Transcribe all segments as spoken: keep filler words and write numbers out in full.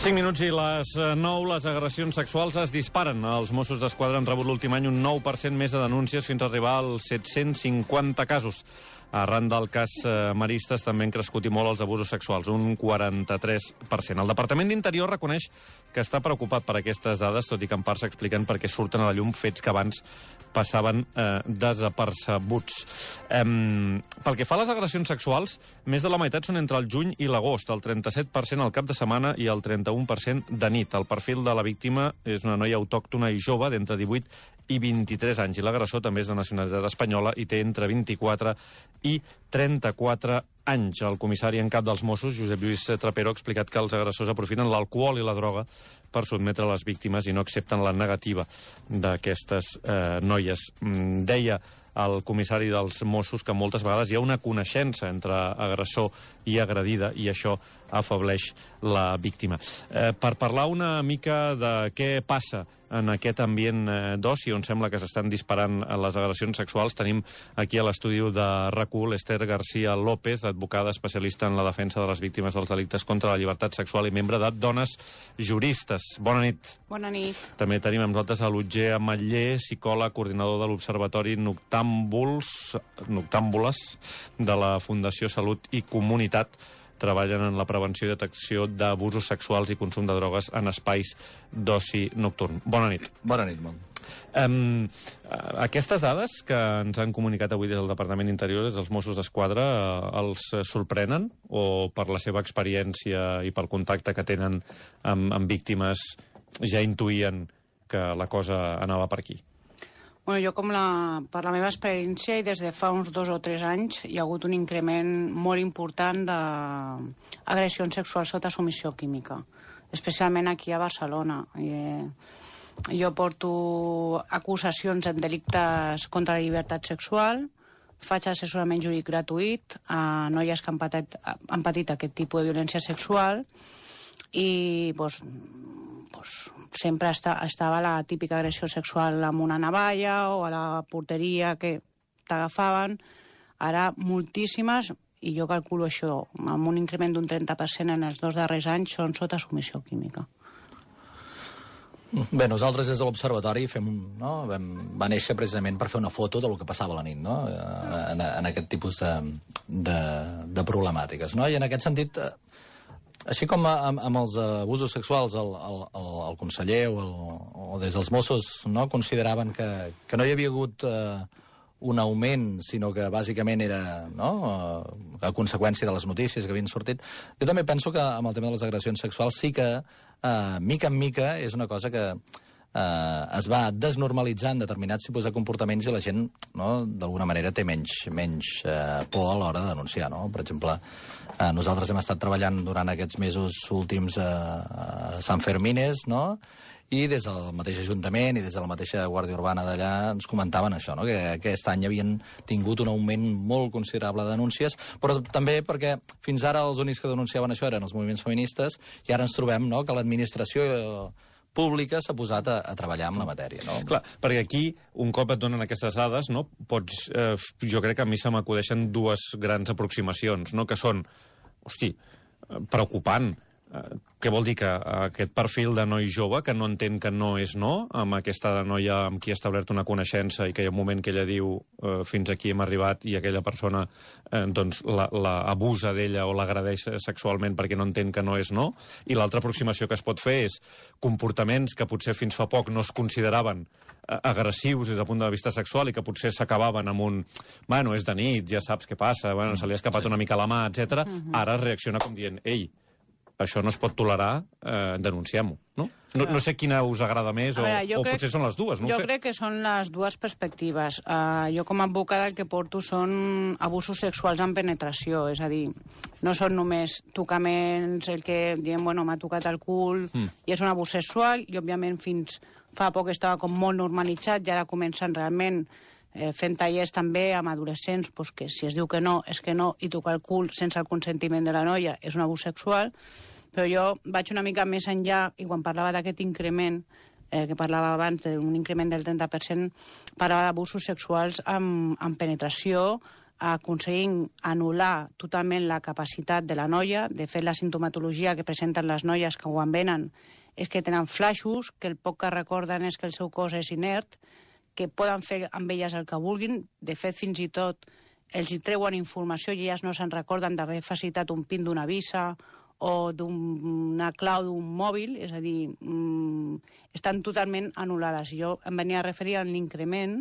cinc minuts i les nou, les agressions sexuals es disparen. Els Mossos d'Esquadra han rebut l'últim any un nou per cent més de denúncies fins a arribar als set-cents cinquanta casos. Arran del cas Maristes també han crescut i molt els abusos sexuals, un quaranta-tres per cent. El Departament d'Interior reconeix que està preocupat per aquestes dades, tot i que en part s'expliquen perquè surten a la llum fets que abans passaven eh, desapercebuts. Eh, pel que fa a les agressions sexuals, més de la meitat són entre el juny i l'agost, el trenta-set per cent al cap de setmana i el trenta-un per cent de nit. El perfil de la víctima és una noia autòctona i jove d'entre divuit i vint-i-tres anys, i l'agressor també és de nacionalitat espanyola i té entre vint-i-quatre i trenta-quatre anys. El comissari en cap dels Mossos, Josep Lluís Trapero, ha explicat que els agressors aprofiten l'alcohol i la droga per sotmetre les víctimes i no accepten la negativa d'aquestes eh, noies. Mm, deia el comissari dels Mossos que moltes vegades hi ha una coneixença entre agressor i agredida i això afableix la víctima. Eh, per parlar una mica de què passa en aquest ambient eh, d'oci on sembla que s'estan disparant les agressions sexuals, tenim aquí a l'estudi de R A C U l'Ester García López, advocada especialista en la defensa de les víctimes dels delictes contra la llibertat sexual i membre de Dones Juristes. Bona nit. Bona nit. També tenim amb nosaltres a l'Otger Ametller, psicòleg, coordinador de l'Observatori Noctàmbuls, Noctàmbules de la Fundació Salut i Comunitat. Treballen en la prevenció i detecció d'abusos sexuals i consum de drogues en espais d'oci nocturn. Bona nit. Bona nit, Mont. Um, aquestes dades que ens han comunicat avui des del Departament d'Interior, des dels Mossos d'Esquadra, uh, els sorprenen o per la seva experiència i pel contacte que tenen amb, amb víctimes ja intuïen que la cosa anava per aquí? Bueno, jo, com la, per la meva experiència, i des de fa uns dos o tres anys, hi ha hagut un increment molt important d'agressions sexuals sota submissió química, especialment aquí a Barcelona. Eh, jo porto acusacions en delictes contra la llibertat sexual, faig assessorament jurídic gratuït a noies que han patit, han patit aquest tipus de violència sexual i, doncs, pues, sempre està, estava la típica agressió sexual amb una navalla o a la porteria que t'agafaven. Ara moltíssimes, i jo calculo això, amb un increment d'un trenta per cent en els dos darrers anys, són sota submissió química. Bé, nosaltres des de l'Observatori fem, no, vam, va néixer precisament per fer una foto del que passava a la nit, no? en, en aquest tipus de, de, de problemàtiques. No? I en aquest sentit, així com amb, amb els abusos sexuals el, el, el, el conseller o, el, o des dels Mossos, no, consideraven que, que no hi havia hagut eh, un augment, sinó que bàsicament era, no, a conseqüència de les notícies que havien sortit, jo també penso que amb el tema de les agressions sexuals sí que eh, mica en mica és una cosa que eh, es va desnormalitzant determinats tipus de comportaments i la gent, no, d'alguna manera té menys, menys eh, por a l'hora de denunciar, no? Per exemple, eh, nosaltres hem estat treballant durant aquests mesos últims eh, a Sant Fermines, no?, i des del mateix Ajuntament i des de la mateixa Guàrdia Urbana d'allà ens comentaven això, no?, que aquest any havien tingut un augment molt considerable de denúncies, però també perquè fins ara els únics que denunciaven això eren els moviments feministes i ara ens trobem, no?, que l'administració pública s'ha posat a, a treballar amb la matèria, no? Clar, perquè aquí, un cop et donen aquestes dades, no, pots, eh, jo crec que a mi se m'acudeixen dues grans aproximacions, no?, que són, hosti, preocupant. Què vol dir? Que aquest perfil de noi jove que no entén que no és no, amb aquesta noia amb qui ha establert una coneixença i que hi ha un moment que ella diu eh, fins aquí hem arribat i aquella persona eh, doncs la, la abusa d'ella o l'agredeix sexualment perquè no entén que no és no, i l'altra aproximació que es pot fer és comportaments que potser fins fa poc no es consideraven eh, agressius des del punt de vista sexual i que potser s'acabaven amb un bueno, és de nit, ja saps què passa, bueno, se li ha escapat sí. una mica la mà, etcètera. Uh-huh. Ara reacciona com dient, ei, això no es pot tolerar, eh, denunciem-ho, no? No, no sé quina us agrada més o, veure, o crec, potser són les dues, no jo ho sé. crec que són les dues perspectives. Uh, jo com a advocada el que porto són abusos sexuals amb penetració, és a dir, no són només tocaments, el que diem, bueno, m'ha tocat el cul, mm. i és un abús sexual, i òbviament fins fa poc estava com molt normalitzat, i ara comencen realment eh, fent tallers també amb adolescents, pues que si es diu que no, és que no, i tocar el cul sense el consentiment de la noia és un abús sexual. Però jo vaig una mica més enllà i quan parlava d'aquest increment, eh, que parlava abans d'un increment del trenta per cent, parlava d'abusos sexuals amb, amb penetració, aconseguint anul·lar totalment la capacitat de la noia. De fet, la sintomatologia que presenten les noies que quan venen és que tenen flaixos, que el poc que recorden és que el seu cos és inert, que poden fer amb elles el que vulguin. De fet, fins i tot els hi treuen informació i elles no se'n recorden d'haver facilitat un pin d'una visa o d'una clau d'un mòbil, és a dir, mmm, estan totalment anul·lades. Jo em venia a referir a l'increment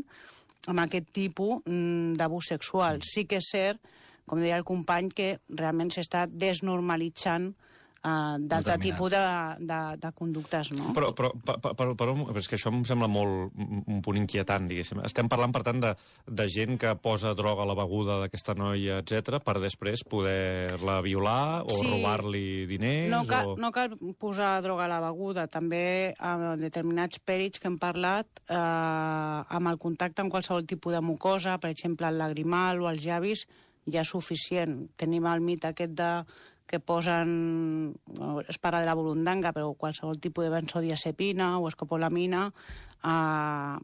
amb aquest tipus d'abús sexual. Sí que és cert, com deia el company, que realment s'està desnormalitzant Uh, d'altre tipus de, de, de conductes, no? Però, però, per, per, per, és que això em sembla molt un punt inquietant, diguéssim. Estem parlant, per tant, de, de gent que posa droga a la beguda d'aquesta noia, etcètera, per després poder-la violar o sí. robar-li diners? No cal, o... no cal posar droga a la beguda. També a determinats pèrits que hem parlat, eh, amb el contacte amb qualsevol tipus de mucosa, per exemple, el lagrimal o els llavis, ja és suficient. Tenim el mit aquest de que posen, es parla de la burundanga, però qualsevol tipus de benzodiazepina o escopolamina, eh,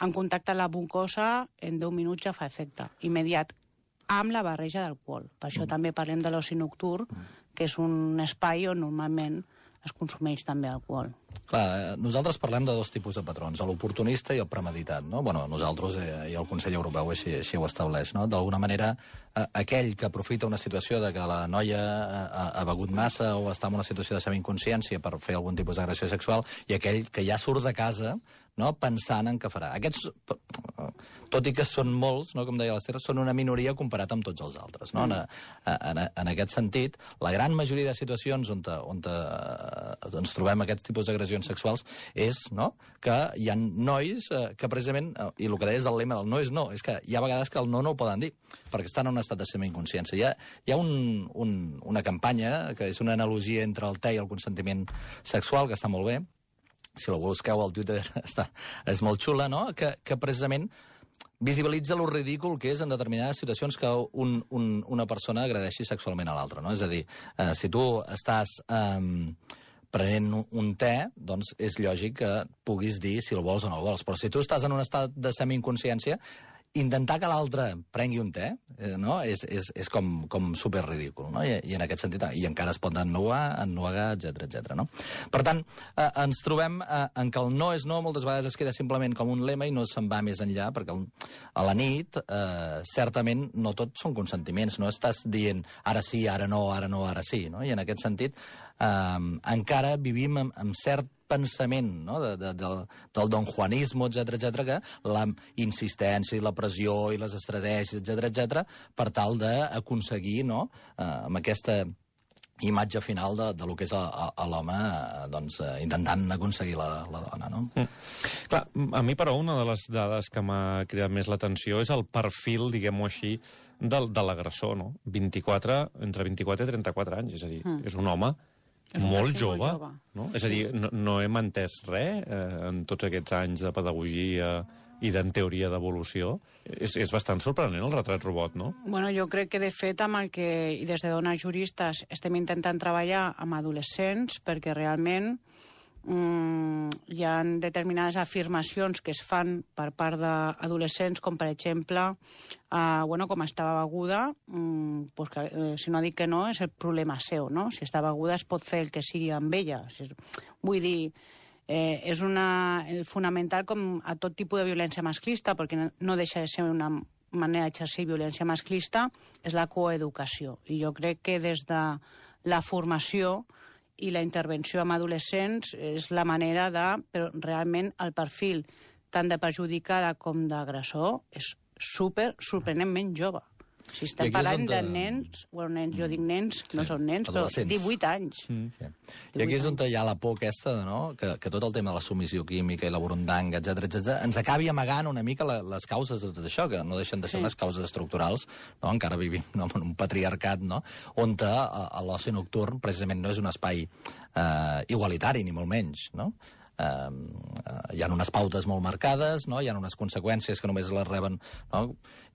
en contacte amb la mucosa, en deu minuts ja fa efecte immediat, amb la barreja d'alcohol. Per això mm. també parlem de l'oci nocturn, que és un espai on normalment es consumeix també alcohol. Clar, nosaltres parlem de dos tipus de patrons, l'oportunista i el premeditat, no? Bueno, nosaltres eh, i el Consell Europeu així, així ho estableix, no? D'alguna manera, eh, aquell que aprofita una situació de que la noia ha, ha begut massa o està en una situació de semi-inconsciència per fer algun tipus d'agressió sexual, i aquell que ja surt de casa, no?, pensant en què farà. Aquests, tot i que són molts, no?, com deia l'Ester, són una minoria comparat amb tots els altres, no? Mm. En, en, en aquest sentit, la gran majoria de situacions on, te, on te, ens trobem aquests tipus d'agressions sexuals és, no?, que hi ha nois eh, que precisament, eh, i el que deies del lema del no és no, és que hi ha vegades que el no no el poden dir, perquè estan en un estat de semi-inconsciència. Hi ha, hi ha un, un, una campanya que és una analogia entre el te i el consentiment sexual, que està molt bé, si la busqueu al Twitter està, és molt xula, no?, que, que precisament visibilitza lo ridícul que és en determinades situacions que un, un, una persona agredeixi sexualment a l'altra, no? És a dir, eh, si tu estàs eh, prenent un te, doncs és lògic que puguis dir si el vols o no el vols. Però si tu estàs en un estat de semi-inconsciència, intentar que l'altre prengui un te, eh, no?, és, és, és com, com super ridícul, no? I, i en aquest sentit, i encara es pot ennuar, ennuegar, etcètera, etcètera, no? Per tant, eh, ens trobem eh, en que el no és no moltes vegades es queda simplement com un lema i no se'n va més enllà, perquè el, a la nit, eh, certament, no tot són consentiments, no estàs dient ara sí, ara no, ara no, ara sí, no? I en aquest sentit, eh, encara vivim amb, amb cert pensament, no?, de, de, del, del don Juanismo, etcètera, etcètera, que la insistència i la pressió i les estratègies, etcètera, etcètera, per tal d'aconseguir, no?, eh, amb aquesta imatge final de, de lo que és a, a, a l'home, eh, doncs, eh, intentant aconseguir la, la dona, no? Mm. Clar, a mi, però, una de les dades que m'ha cridat més l'atenció és el perfil, diguem-ho així, del, de l'agressor, no? vint-i-quatre, entre vint-i-quatre i trenta-quatre anys, és a dir, mm. és un home És molt jove, molt jove, no? És a dir, no, no hem entès res eh, en tots aquests anys de pedagogia i d'en teoria d'evolució. És, és bastant sorprenent el retrat robot, no? Bueno, jo crec que, de fet, amb el que, i des de dones juristes, estem intentant treballar amb adolescents perquè realment mm, hi ha determinades afirmacions que es fan per part d'adolescents, com, per exemple, Uh, bueno, com estava beguda, um, pues que, eh, si no dic que no, és el problema seu, no? Si està beguda es pot fer el que sigui amb ella. Si és, vull dir, eh, és una, el fonamental com a tot tipus de violència masclista, perquè no, no deixa de ser una manera d'exercir violència masclista, és la coeducació. I jo crec que des de la formació i la intervenció amb adolescents és la manera de... Però realment el perfil tant de perjudicada com d'agressor és super, sorprenentment jove. Si estem parlant de nens, bueno, nens, jo dic nens, no són nens, però divuit anys. Mm. Sí. I aquí és on hi ha la por aquesta, no?, que, que tot el tema de la submissió química i la burundanga, etcètera, etcètera, ens acabi amagant una mica la, les causes de tot això, que no deixen de ser sí. unes causes estructurals, no?, encara vivim no, en un patriarcat, no?, on a, a l'oci nocturn precisament no és un espai eh, igualitari, ni molt menys, no?, Uh, uh, hi ha unes pautes molt marcades, no? Hi ha unes conseqüències que només les reben, no?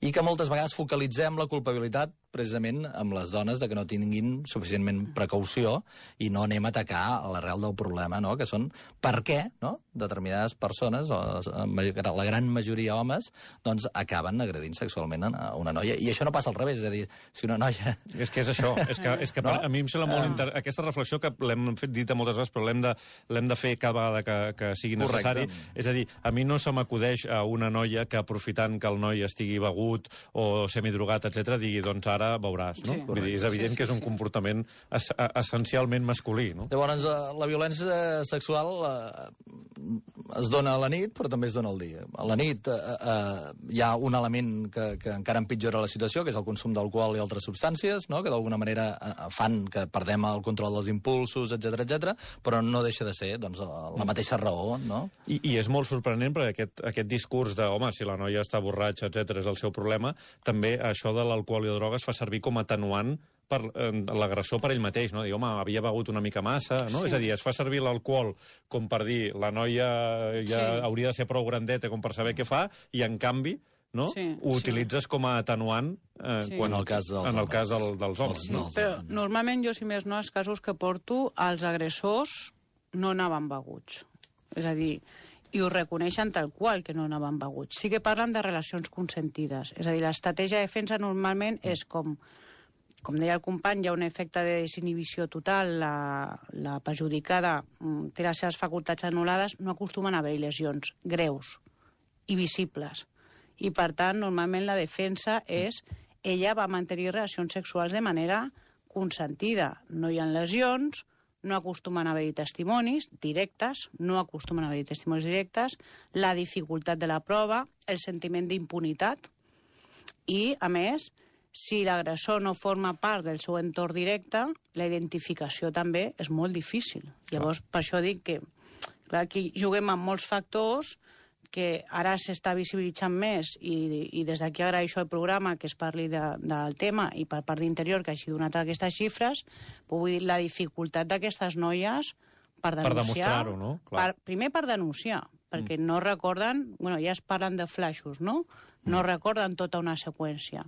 I que moltes vegades focalitzem la culpabilitat precisament amb les dones de que no tinguin suficientment precaució i no anem a atacar a l'arrel del problema, no? Que són per què, no?, determinades persones, o la gran majoria homes, doncs acaben agredint sexualment a una noia. I això no passa al revés, és a dir, si una noia... És que és això, és que, és que no? a mi em sembla molt... Inter... Aquesta reflexió que l'hem fet dit moltes vegades, però l'hem de, l'hem de fer cada vegada que, que sigui necessari. Correcte. És a dir, a mi no se m'acudeix a una noia que, aprofitant que el noi estigui begut o semidrogat, etcètera, digui, doncs ara veuràs, no? Sí. Vull dir, és evident sí, sí, que és un sí. comportament es, essencialment masculí, no? Llavors, la violència sexual eh, es dona a la nit, però també es dona al dia. A la nit eh, eh, hi ha un element que, que encara empitjora la situació, que és el consum d'alcohol i altres substàncies, no?, que d'alguna manera eh, fan que perdem el control dels impulsos, etcètera, etcètera, però no deixa de ser doncs, la mateixa raó, no? I, i és molt sorprenent perquè aquest, aquest discurs de, home, si la noia està borratxa, etcètera, és el seu problema, també això de l'alcohol i drogues fa servir com a atenuant per eh, l'agressor per ell mateix, no? Dir, home, havia begut una mica massa, no? Sí. És a dir, es fa servir l'alcohol com per dir, la noia ja sí. hauria de ser prou grandeta com per saber què fa, i en canvi, no? Sí, ho sí. utilitzes com a atenuant eh, sí. quan en el cas dels en el homes. cas del, dels homes. Sí, no? Però normalment jo, si més no, els casos que porto, els agressors no anaven beguts. És a dir, i ho reconeixen tal qual, que no anaven beguts. Sí que parlen de relacions consentides. És a dir, l'estratègia de defensa normalment és com... Com deia el company, hi ha un efecte de desinhibició total, la, la perjudicada té les seves facultats anul·lades, no acostumen a haver-hi lesions greus i visibles. I, per tant, normalment la defensa és ella va mantenir relacions sexuals de manera consentida. No hi ha lesions, no acostumen a haver-hi testimonis directes, no acostumen a haver-hi testimonis directes, la dificultat de la prova, el sentiment d'impunitat i, a més, si l'agressor no forma part del seu entorn directe, la identificació també és molt difícil. Llavors, per això dic que clar, aquí juguem amb molts factors que ara s'està visibilitzant més i, i des d'aquí agraeixo al programa que es parli de, del tema i per part d'Interior que hagi donat aquestes xifres, però vull dir, la dificultat d'aquestes noies per denunciar... Per demostrar-ho, no? Clar. Per, primer per denunciar, perquè mm. no recorden... Bueno, ja es parlen de flaixos, no? No mm. recorden tota una seqüència.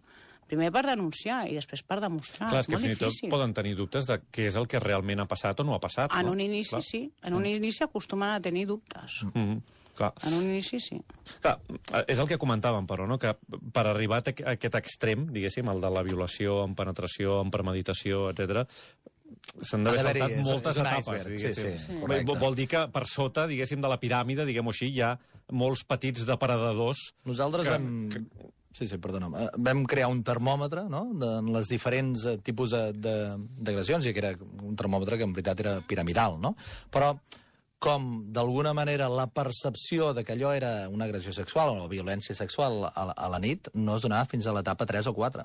Primer per denunciar i després per demostrar. Clar, és que fins i tot poden tenir dubtes de què és el que realment ha passat o no ha passat. En no? un inici, clar. sí. En un inici acostumen a tenir dubtes. Mm -hmm. Clar. En un inici, sí. Clar, és el que comentàvem, però, no? Que per arribar a aquest extrem, diguéssim, el de la violació amb penetració, amb premeditació, etcètera, s'han d'haver saltat moltes etapes, diguéssim. Sí, sí, sí. Vol dir que per sota, diguéssim, de la piràmide, diguem-ho així, hi ha molts petits depredadors... Nosaltres que, hem... Que... Sí, sí, perdona. Vam crear un termòmetre, no?, de les diferents tipus d'agressions, i que era un termòmetre que en veritat era piramidal, no? Però com, d'alguna manera, la percepció de que allò era una agressió sexual o violència sexual a la, a la nit no es donava fins a l'etapa tres o quatre.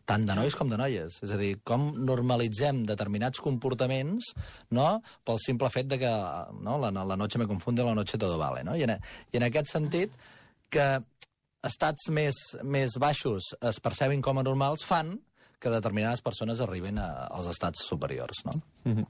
Tant de nois com de noies. És a dir, com normalitzem determinats comportaments, no?, pel simple fet de que no, la, la noche me confunde, la noche todo vale, no? I en, i en aquest sentit, que estats més, més baixos es percebin com a normals fan que determinades persones arriben a, als estats superiors, no? Mm-hmm.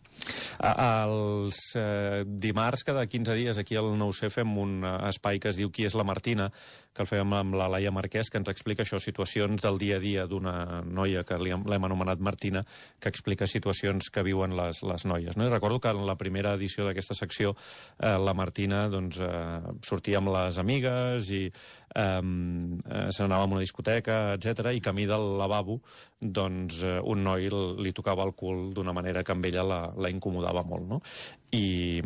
Els eh, dimarts, cada quinze dies, aquí al nou C fem un espai que es diu Qui és la Martina, que el fem amb la Laia Marquès, que ens explica això, situacions del dia a dia d'una noia que l'hem anomenat Martina, que explica situacions que viuen les, les noies. No? I recordo que en la primera edició d'aquesta secció eh, la Martina doncs, eh, sortia amb les amigues i eh, se n'anava a una discoteca, etcètera, i camí del lavabo doncs, eh, un noi li tocava el cul d'una manera que amb ella la, la incomodava molt, no? I,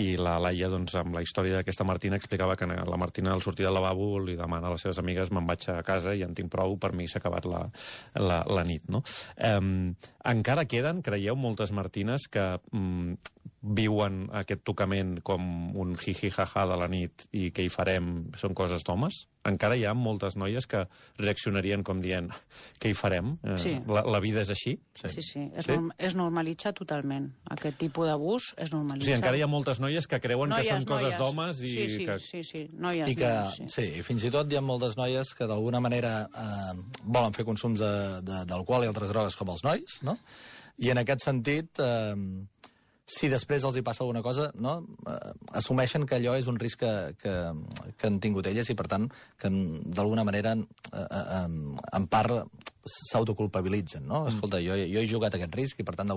i la Laia, doncs, amb la història d'aquesta Martina, explicava que la Martina, al sortir del lavabo, li demana a les seves amigues me'n vaig a casa i en tinc prou, per mi s'ha acabat la, la, la nit, no? Um, encara queden, creieu, moltes Martines que um, viuen aquest tocament com un jiji-jaja de la nit i què hi farem, són coses d'homes? Encara hi ha moltes noies que reaccionarien com dient què hi farem? Sí. La, la vida és així? Sí, sí. sí. Es, sí? Norm, es normalitza totalment. Aquest tipus d'abús es normalitza. Sí, encara hi ha moltes noies que creuen noies, que són coses d'homes i sí, sí, que... Sí, sí, noies. I que, noies, sí. sí, i fins i tot hi ha moltes noies que d'alguna manera eh, volen fer consums d'alcohol i altres drogues com els nois, no? I en aquest sentit... Eh, si després els hi passa alguna cosa, no? eh, assumeixen que allò és un risc que, que, que han tingut elles i, per tant, que d'alguna manera, eh, eh, en part, s'autoculpabilitzen, no? Mm. Escolta, jo, jo he jugat aquest risc i, per tant...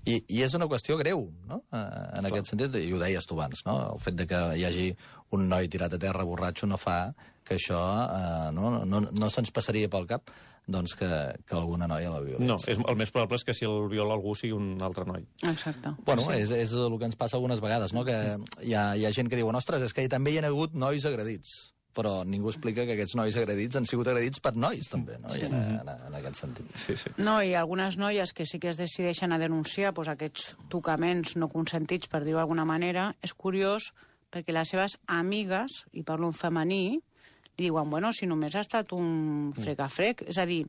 I, i és una qüestió greu, no? En Clar. Aquest sentit, i ho deies tu abans, no? El fet de que hi hagi un noi tirat a terra borratxo no fa que això eh, no, no, no se'ns passaria pel cap doncs que, que alguna noia la violi. No, és, el més probable és que si el viola algú sigui un altre noi. Exacte. Bueno, sí. és, és el que ens passa algunes vegades, no? Que hi ha, hi ha gent que diu, ostres, és que també hi ha hagut nois agredits, però ningú explica que aquests nois agredits han sigut agredits per nois, també, no? I en, en, en aquest sentit. Sí, sí. No, i algunes noies que sí que es decideixen a denunciar pues, aquests tocaments no consentits, per dir-ho d'alguna manera, és curiós perquè les seves amigues, i parlo en femení, li diuen, bueno, si només ha estat un frec-a-frec, és a dir,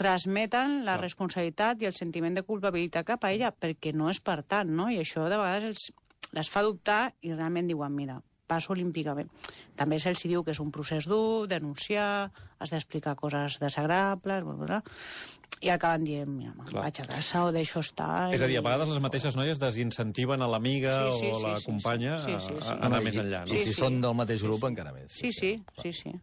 transmeten la no. responsabilitat i el sentiment de culpabilitat cap a ella, perquè no és per tant, no? I això de vegades els, les fa dubtar i realment diuen, mira, passo olímpicament. També se'ls diu que és un procés dur, denunciar, has d'explicar coses desagradables, bla, bla, bla, i acaben dient, mira, vaig a casa o deixo estar... És a dir, a vegades les mateixes noies desincentiven a l'amiga sí, sí, o la sí, companya sí, sí, sí, sí. a anar no, més i, enllà. No? I si sí, són sí. del mateix grup, sí, sí. encara més. Sí, sí, sí, sí.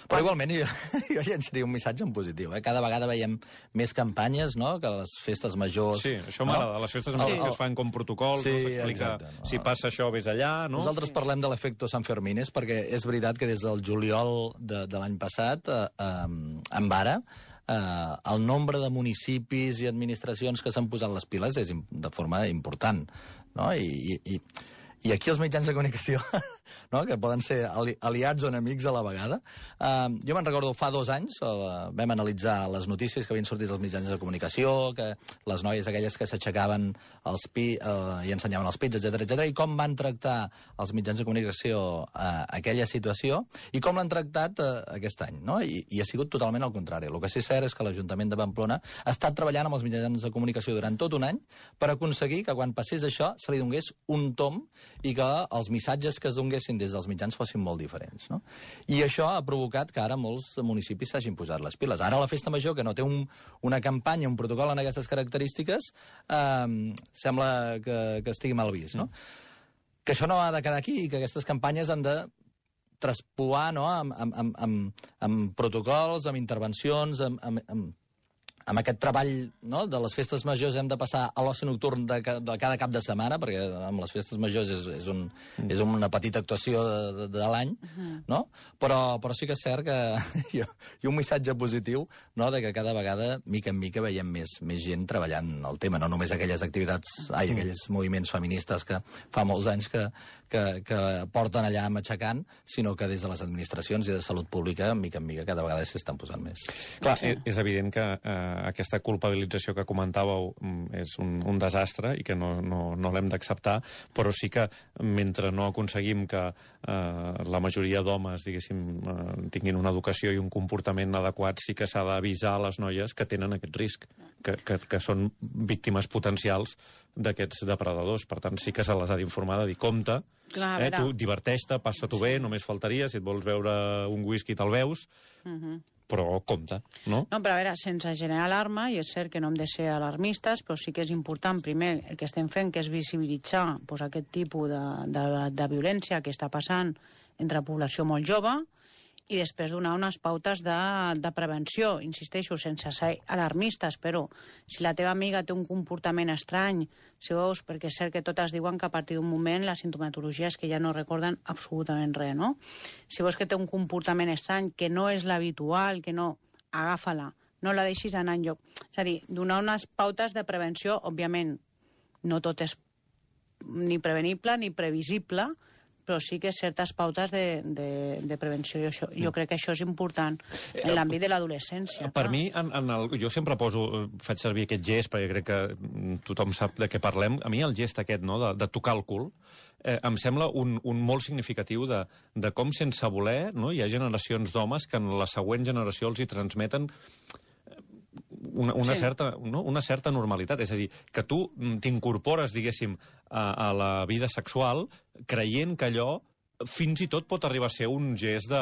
Però igualment jo, jo llançaria un missatge en positiu. Eh? Cada vegada veiem més campanyes, no?, que les festes majors... Sí, això m'agrada. No? Les festes majors sí. que es fan com protocols, sí, no s'explica no? si passa això, vés allà, no? Nosaltres sí. parlem de l'efecte Sant Fermines perquè és veritat que des del juliol de, de l'any passat, eh, eh, en vara, eh, el nombre de municipis i administracions que s'han posat les piles és de forma important, no? I, i, i I aquí els mitjans de comunicació, no?, que poden ser ali aliats o enemics a la vegada. Uh, jo me'n recordo fa dos anys, uh, vam analitzar les notícies que havien sortit als mitjans de comunicació, que les noies aquelles que s'aixecaven els pi uh, i ensenyaven els pits, etcètera, etcètera, i com van tractar els mitjans de comunicació uh, aquella situació i com l'han tractat uh, aquest any, no? I, I ha sigut totalment al contrari. El que sí és cert és que l'Ajuntament de Pamplona ha estat treballant amb els mitjans de comunicació durant tot un any per aconseguir que quan passés això se li donés un tom i que els missatges que es donguessin des dels mitjans fossin molt diferents, no? I això ha provocat que ara molts municipis s'hagin posat les piles. Ara la Festa Major, que no té un, una campanya, un protocol en aquestes característiques, eh, sembla que, que estigui mal vist, no? Mm. Que això no ha de quedar aquí i que aquestes campanyes han de traspuar, no?, amb, amb, amb, amb, amb protocols, amb intervencions, amb, amb, amb amb aquest treball, no?, de les festes majors hem de passar a l'oci nocturn de, de cada cap de setmana, perquè amb les festes majors és, és, un, mm. és una petita actuació de, de, de l'any, uh -huh. no? Però, però sí que és cert que hi ha, hi ha un missatge positiu, no?, de que cada vegada, mica en mica, veiem més, més gent treballant el tema, no només aquelles activitats, ai, mm. aquells moviments feministes que fa molts anys que, que, que porten allà matxacant, sinó que des de les administracions i de salut pública, mica en mica, cada vegada s'estan posant més. Clar, sí. és evident que eh, aquesta culpabilització que comentàveu és un, un desastre i que no, no, no l'hem d'acceptar, però sí que mentre no aconseguim que eh, la majoria d'homes, diguéssim, eh, tinguin una educació i un comportament adequat, sí que s'ha d'avisar a les noies que tenen aquest risc, que, que, que són víctimes potencials d'aquests depredadors. Per tant, sí que se les ha d'informar de dir, compte, Clar, eh, tu diverteix-te, passa-t'ho bé, només faltaria, si et vols veure un whisky te'l veus, uh -huh. però compte, no? No, però a veure, sense generar alarma, i és cert que no hem de ser alarmistes, però sí que és important, primer, el que estem fent, que és visibilitzar pues, aquest tipus de, de, de violència que està passant entre població molt jove, i després donar unes pautes de, de prevenció, insisteixo, sense ser alarmistes, però si la teva amiga té un comportament estrany, si veus, perquè és cert que totes diuen que a partir d'un moment la sintomatologia és que ja no recorden absolutament res, no? Si veus que té un comportament estrany, que no és l'habitual, que no, agafa-la, no la deixis anar enlloc. És a dir, donar unes pautes de prevenció, òbviament, no tot és ni prevenible ni previsible, però sí que certes pautes de, de, de prevenció. Jo, això, jo crec que això és important en l'àmbit de l'adolescència. Per mi, en, en el, jo sempre poso, faig servir aquest gest, perquè crec que tothom sap de què parlem. A mi el gest aquest, no?, de, de tocar el cul, eh, em sembla un, un molt significatiu de, de com, sense voler, no?, hi ha generacions d'homes que en la següent generació els hi transmeten una, una, sí. certa, no? una certa normalitat. És a dir, que tu t'incorpores, diguéssim, a, a la vida sexual creient que allò fins i tot pot arribar a ser un gest de,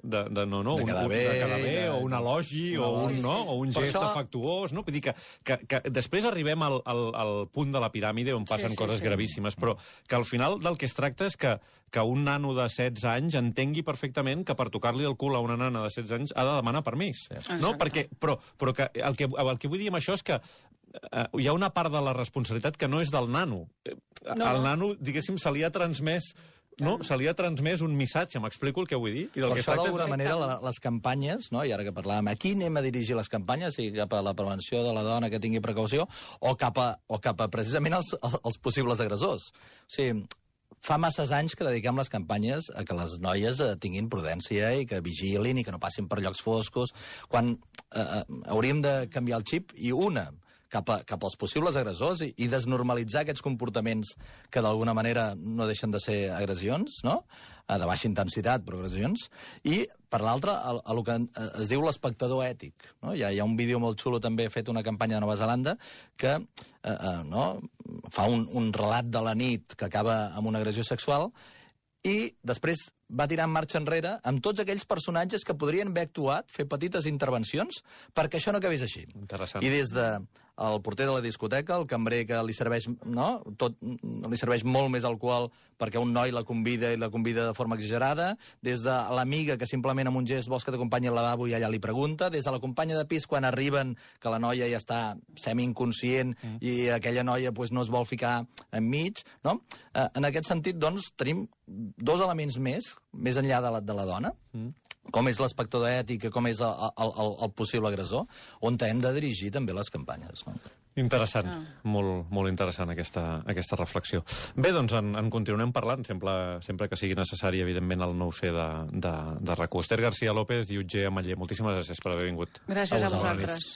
de, de, no, no, de un, quedar un, bé, de quedar bé de, o un elogi, o un, no, o un Per gest això... afectuós, no? Vull dir que, que, que després arribem al, al, al punt de la piràmide on passen Sí, sí, coses sí. gravíssimes, però que al final del que es tracta és que, que un nano de setze anys entengui perfectament que per tocar-li el cul a una nana de setze anys ha de demanar permís. Sí. No? Perquè, però però que el, que el que vull dir amb això és que eh, hi ha una part de la responsabilitat que no és del nano. No. Al nano, diguéssim, se li ha transmès no? Se li ha transmès un missatge, m'explico el que vull dir? I del per que això, tracta d'alguna és... manera, la, les campanyes, no? I ara que parlàvem, aquí anem a dirigir les campanyes, i cap a la prevenció de la dona que tingui precaució, o cap a, o cap a precisament els, els possibles agressors. O sigui, fa masses anys que dediquem les campanyes a que les noies eh, tinguin prudència i que vigilin i que no passin per llocs foscos, quan eh, hauríem de canviar el xip, i una, cap, a, cap als possibles agressors, i, i desnormalitzar aquests comportaments que d'alguna manera no deixen de ser agressions, no? De baixa intensitat, però agressions. I, per l'altra, el, el que es diu l'espectador ètic. No? Hi, ha, hi ha un vídeo molt xulo, també fet una campanya de Nova Zelanda, que eh, eh, no? fa un, un relat de la nit que acaba amb una agressió sexual, i després va tirar en marxa enrere amb tots aquells personatges que podrien haver actuat, fer petites intervencions, perquè això no acabés així. Interessant. I des de el porter de la discoteca, el cambrer que li serveix, no? Tot, li serveix molt més alcohol perquè un noi la convida i la convida de forma exagerada, des de l'amiga que simplement amb un gest vols que t'acompanyi al lavabo i allà li pregunta, des de la companya de pis quan arriben que la noia ja està semi-inconscient mm. i aquella noia pues, no es vol ficar enmig, no? Eh, en aquest sentit, doncs, tenim dos elements més, més enllà de la, de la dona, mm. com és l'espectador ètic, com és el, el, el, el possible agressor, on hem de dirigir també les campanyes. No? Interessant, ah. molt, molt interessant aquesta, aquesta reflexió. Bé, doncs en, en continuem parlant, sempre, sempre que sigui necessari, evidentment, el nou C de, de, de RAC u. Esther García López i Utge Ametller, moltíssimes gràcies per haver vingut. Gràcies a, a vosaltres.